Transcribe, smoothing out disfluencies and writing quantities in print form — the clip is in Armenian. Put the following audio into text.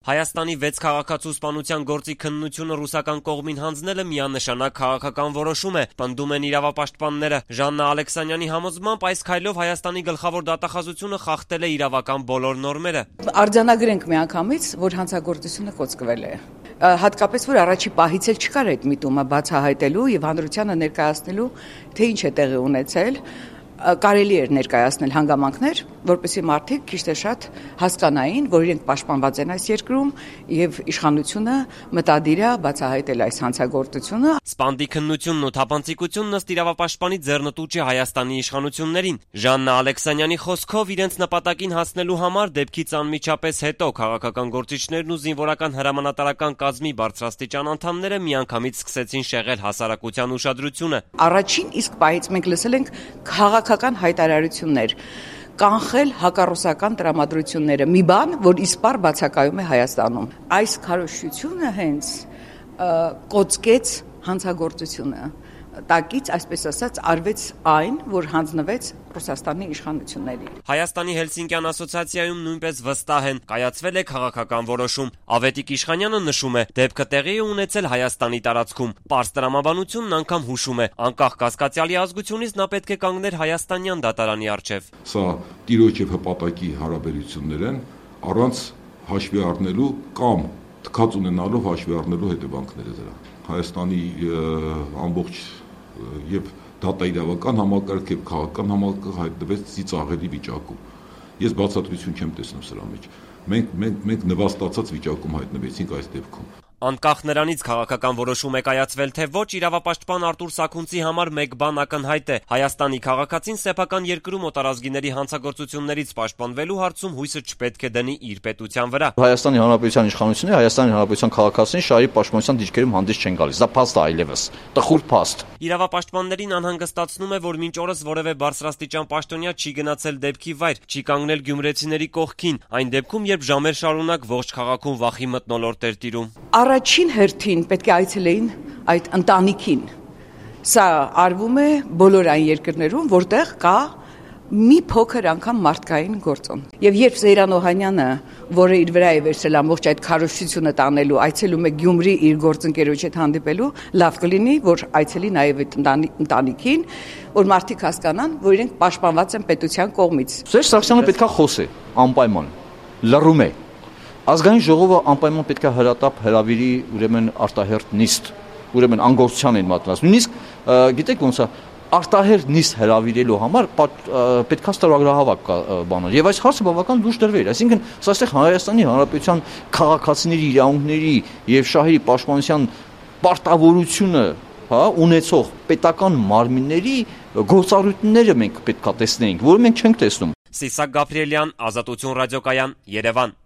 Հայաստանի 6 քաղաքացու սպանության գործի քննությունը ռուսական կողմին հանձնելը միանշանակ քաղաքական որոշում է, պնդում են իրավապաշտպանները։ Ժաննա Ալեքսանյանի համոզմամբ այս քայլով Հայաստանի գլխավոր դատախազությունը խախտել է իրավական բոլոր նորմերը։ Արձանագրենք միանգամից, որ հանցագործությունը կոծկվել է։ Հատկապես որ առաջի պահից էլ չկար այդ միտումը բացահայտելու եւ հանրությանը ներկայացնելու, թե ինչ է տեղի ունեցել։ Կարելի էր ներկայացնել հանգամանքներ, որպեսզի մարդիկ քիչ թե շատ հասկանային, որ իրենք պաշտպանված են այս երկրում եւ իշխանությունը մտադիր է բացահայտել այս հանցագործությունը։ Սպանդի քննությունն ու թափանցիկությունն ըստ իրավապաշտպանի ձեռնտու չէ Հայաստանի իշխանություններին։ Ժաննա Ալեքսանյանի խոսքով իրենց նպատակին հասնելու համար դեպքից անմիջապես հետո քաղաքական գործիչներն ու զինվորական հրամանատարական կազմի բարձրաստիճան անդամները միանգամից սկսեցին շեղել հասարակության ուշադրությունը։ Առաջին իսկ պահից մենք լսել ենք քաղաքական հայտարարություններ, կանխել հակառուսական տրամադրությունները, մի բան, որ իսպառ բացակայում է Հայաստանում։ Այս քարոզչությունը հենց կոծկեց հանցագործությունը, տակից, այսպես ասած, արվեց այն, որ հանձնվեց Ռուսաստանի իշխանություններին։ Հայաստանի Հելսինկյան ասոցիացիայում նույնպես վստահ են, կայացվել է քաղաքական որոշում։ Ավետիք Իշխանյանը նշում է, դեպքը տեղի է ունեցել Հայաստանի տարածքում։ Պարզ տրամաբանությունն անգամ հուշում է, անկախ կասկածյալի ազգությունից նա պետք է կանգներ հայաստանյան դատարանի առջև։ Սա տիրոջ եւ հպատակի հարաբերություններ են, առանց հաշվի առնելու կամ թքած ունենալով հաշվի առնելու հետևանքները դրա։ Հայաստանի ամբողջ եւ դատաիրավական համակարգ եւ քաղաքական համակարգ հայտնվեց ծիծաղելի վիճակում։ Ես բացատրություն չեմ տեսնում սրա մեջ։ Մենք նվաստացած վիճակում հայտնվեցինք այս դեպքում։ Անկախ նրանից քաղաքական որոշում է կայացվել թե ոչ, իրավապաշտպան Արտուր Սաքունցի համար մեկ բան ակնհայտ է. Հայաստանի քաղաքացին սեփական երկրում օտարազգիների հանցագործություններից պաշտպանվելու հարցում հույսը չպետք է դնի իր պետության վրա։ Հայաստանի Հանրապետության իշխանությունները Հայաստանի Հանրապետության քաղաքացիներին շահերի պաշտպանության դիրքերում հանդես չեն գալիս։ Դա փաստ է այլևս, տխուր փաստ։ Իրավապաշտպաններին անհանգստացնում է, որ մինչ օրս որևէ բարձրաստիճան պաշտոնյա չի գնացել դեպքի վայր, չի կանգնել գյումրեցիների կողքին, այն դեպքում, երբ ժամեր շարունակ ողջ քաղաքում վախի մթնոլորտ էր տիրում։ Առաջին հերթին պետք է այցելեին այդ ընտանիքին։ Սա արվում է բոլոր այն երկրներում, որտեղ կա մի փոքր անգամ մարդկային գործոն։ Եվ երբ Զեյրան Օհանյանը, որը իր վրա է վերցրել ամբողջ այդ քարոզչությունը տանելու, այցելում է Գյումրի իր գործընկերոջ հետ հանդիպելու, լավ կլինի, որ այցելի նաև այդ ընտանիքին, որ մարդիկ հասկանան, որ իրենք պաշտպանված են պետության կողմից։ Սերժ Սարգսյանը պետքա խոսի անպայման, լռում է։ Ազգային ժողովը անպայման պետք է հրատապ հրավիրի ուրեմն արտահերթ նիստ, ուրեմն անգործության են մատնած։ Նույնիսկ գիտեք ոնց է արտահերթ նիստ հրավիրելու համար պետք է ստորագրահավաք բանել։ Եվ այս հարցը բավական լուրջ դրվեր, այսինքն սա այստեղ Հայաստանի Հանրապետության քաղաքացիների իրավունքների եւ շահերի պաշտպանության պարտավորությունը, ունեցող պետական մարմինների գործառույթները մենք պետք է տեսնեինք, որը մենք չենք տեսնում։ Սիսակ Գաբրիելյան, Ազատություն ռադիոկայան, Երևան։